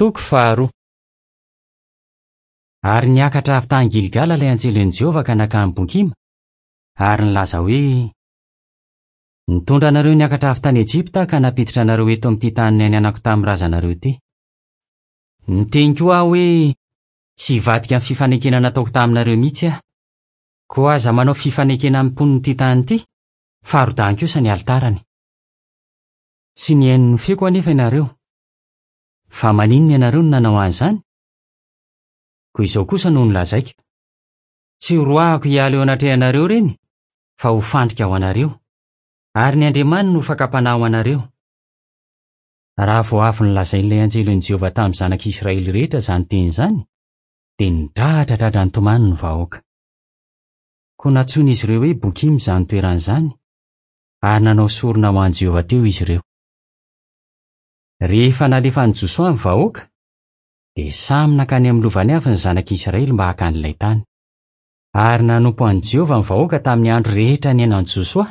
Toko faharoa. Ary niakatra avy tany Gilgala ilay anjelin'i Jehovah ka nankany Bokima, ary nilaza hoe, Nitondra anareo niakatra avy tany Ejipta aho ka nampiditra anareo eto amin'ity tany nianianako tamin'ny razanareo ity. Niteny koa aho hoe, Tsy hivadika amin'ny fifanekena nataoko taminareo mihitsy aho. Koa aza manao fifanekena amin'ny mponin'ity tany ity, fa rodano kosa ny alitarany. Tsy nihaino ny feoko anefa ianareo. Fa maninona ianareo no nanao an'izany? Koa izao kosa no nolazaiko, Tsy horoahako hiala eo anatrehanareo ireny, fa ho fandrika ho anareo, ary ny andriamaniny ho fakam-panahy ho anareo. Raha vao avy nolazain'ilay anjelin'i Jehovah tamin'ny zanak'Israely rehetra izany teny izany, dia nidradradradra nitomany ny vahoaka. Koa nantsoin'izy ireo hoe Bokima izany toerana izany, ary nanao sorona ho an'i Jehovah teo izy ireo. Rehefa nalefan'i Josoa ny vahoaka, dia samy nankany amin'ny lovany avy ny zanak'Israely mba haka an'ilay tany. Ary nanompo an'i Jehovah ny vahoaka tamin'ny andro rehetra niainan'i Josoa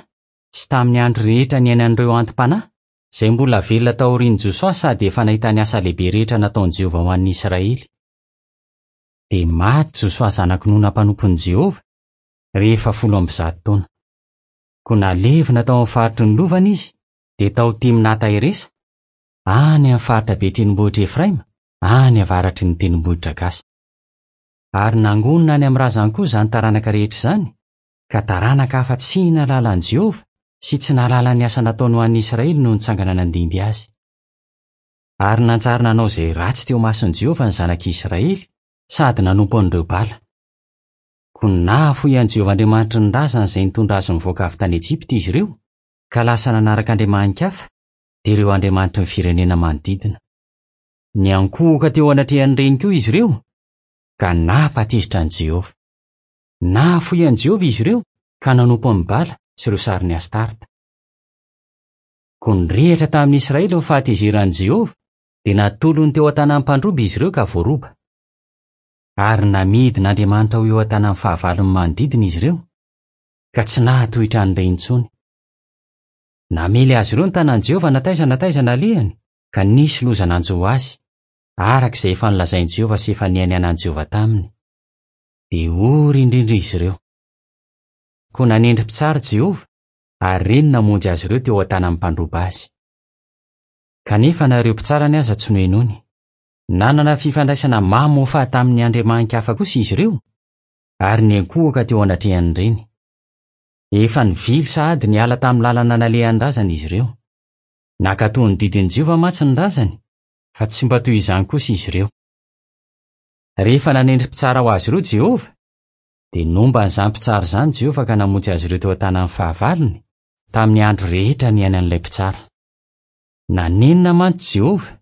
sy tamin'ny andro rehetra niainan'ireo anti-panahy, izay mbola velona taorian'i Josoa sady efa nahita ny asa lehibe rehetra nataon'i Jehovah ho an'ny Israely. Dia maty Josoa zanak'i Nona mpanompon'i Jehovah, rehefa 110 taona. Koa nalevina tao amin'ny faritry ny lovany izy, dia tao Timnata-Heresa, any amin'ny faritra be tendrombohitr'i Efraima, any avaratry ny tendrombohitra Gasa. Ary nangonina any amin'ny razany koa izany taranaka rehetra izany, ka taranaka hafa tsy nahalala an'i Jehovah sy tsy nahalala ny asa nataony ho an'ny Israely no nitsangana nandimby azy. Ary nanjary nanao izay ratsy teo imason'i Jehovah ny zanak'Israely, sady nanompo an'ireo Bala. Koa nahafoy an'i Jehovah Andriamanitry ny razany izay nitondra azy nivoaka avy tany Ejipta izy ireo, ka lasa nanaraka andriamani-kafa, dia ireo andriamanitry ny firenena manodidina. Niankohoka teo anatrehan'ireny koa izy ireo, ka nampatezitra an'i Jehovah. Nahafoy an'i Jehovah izy ireo, ka nanompo an'i Bala sy ireo sarin'i Astarta. Koa nirehitra tamin'ny Israely ny fahatezeran'i Jehovah, dia natolony teo an-tanan'ny mpandroba izy ireo ka voaroba. Ary namidin'Andriamanitra ho eo an-tanan'ny fahavalony manodidina izy ireo, ka tsy nahatohitra an'ireny intsony. Namely azy ireo ny tanan'i Jehovah na taiza na taiza nalehany, ka nisy loza nanjo azy, araka izay efa nolazain'i Jehovah sy efa nianianan'i Jehovah taminy. Dia ory indrindra izy ireo. Koa nanendry mpitsara Jehovah, ary ireny namonjy azy ireo teo an-tanan'ny mpandroba azy. Kanefa na ireo mpitsarany aza tsy nohenoiny. Nanana fifandraisana mamoafady tamin'ny andriamani-kafa kosa izy ireo, ary niankohoka teo anatrehan'ireny. Efa nivily sahady niala tamin'ny lalana nalehan'ny razany izy ireo. Nankatò ny didin'i Jehovah mantsy ny razany, fa tsy mba toy izany kosa izy ireo. Rehefa nanendry mpitsara ho azy ireo Jehovah, dia nomba an'izany mpitsara izany Jehovah ka namonjy azy ireo teo an-tanan'ny fahavalony, tamin'ny andro rehetra niainan'ilay mpitsara. Nanenina mantsy Jehovah,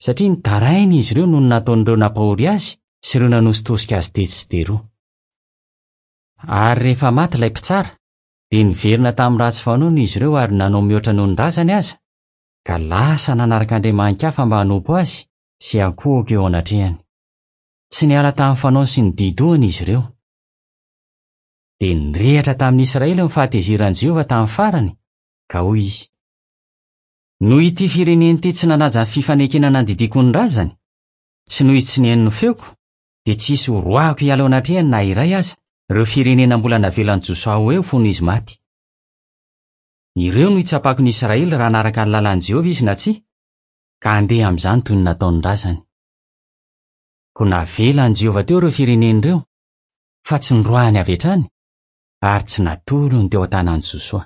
satria nitaraina izy ireo noho ny nataon'ireo nampahory azy sy ireo nanositosika azy tetsy sy teroa. Ary rehefa maty ilay mpitsara, dia niverina tamin'ny ratsy fanaony izy ireo ary nanao mihoatra noho ny razany aza, ka lasa nanaraka andriamani-kafa mba hanompo azy sy hiankohoka eo anatrehany. Tsy niala tamin'ny fanaony sy ny di-dohany izy ireo. Dia nirehatra tamin'ny Israely ny fahatezeran'i Jehovah tamin'ny farany, ka hoy izy, Noho ity firenena ity tsy nanaja ny fifanekena nandidiako ny razany, sy noho izy tsy nihaino ny feoko, dia tsy hisy horoahiko hiala eo anatrehany na iray aza ireo firenena mbola navelan'i Josoa ho eo fony izy maty. Ireo no hitsapako ny Israely raha hanaraka ny lalàn'i Jehovah izy na tsia, ka handeha amin'izany toy ny nataon'ny razany. Koa navelan'i Jehovah teo ireo firenena ireo, fa tsy noroahiny avy hatrany, ary tsy natolony teo an-tanan'i Josoa.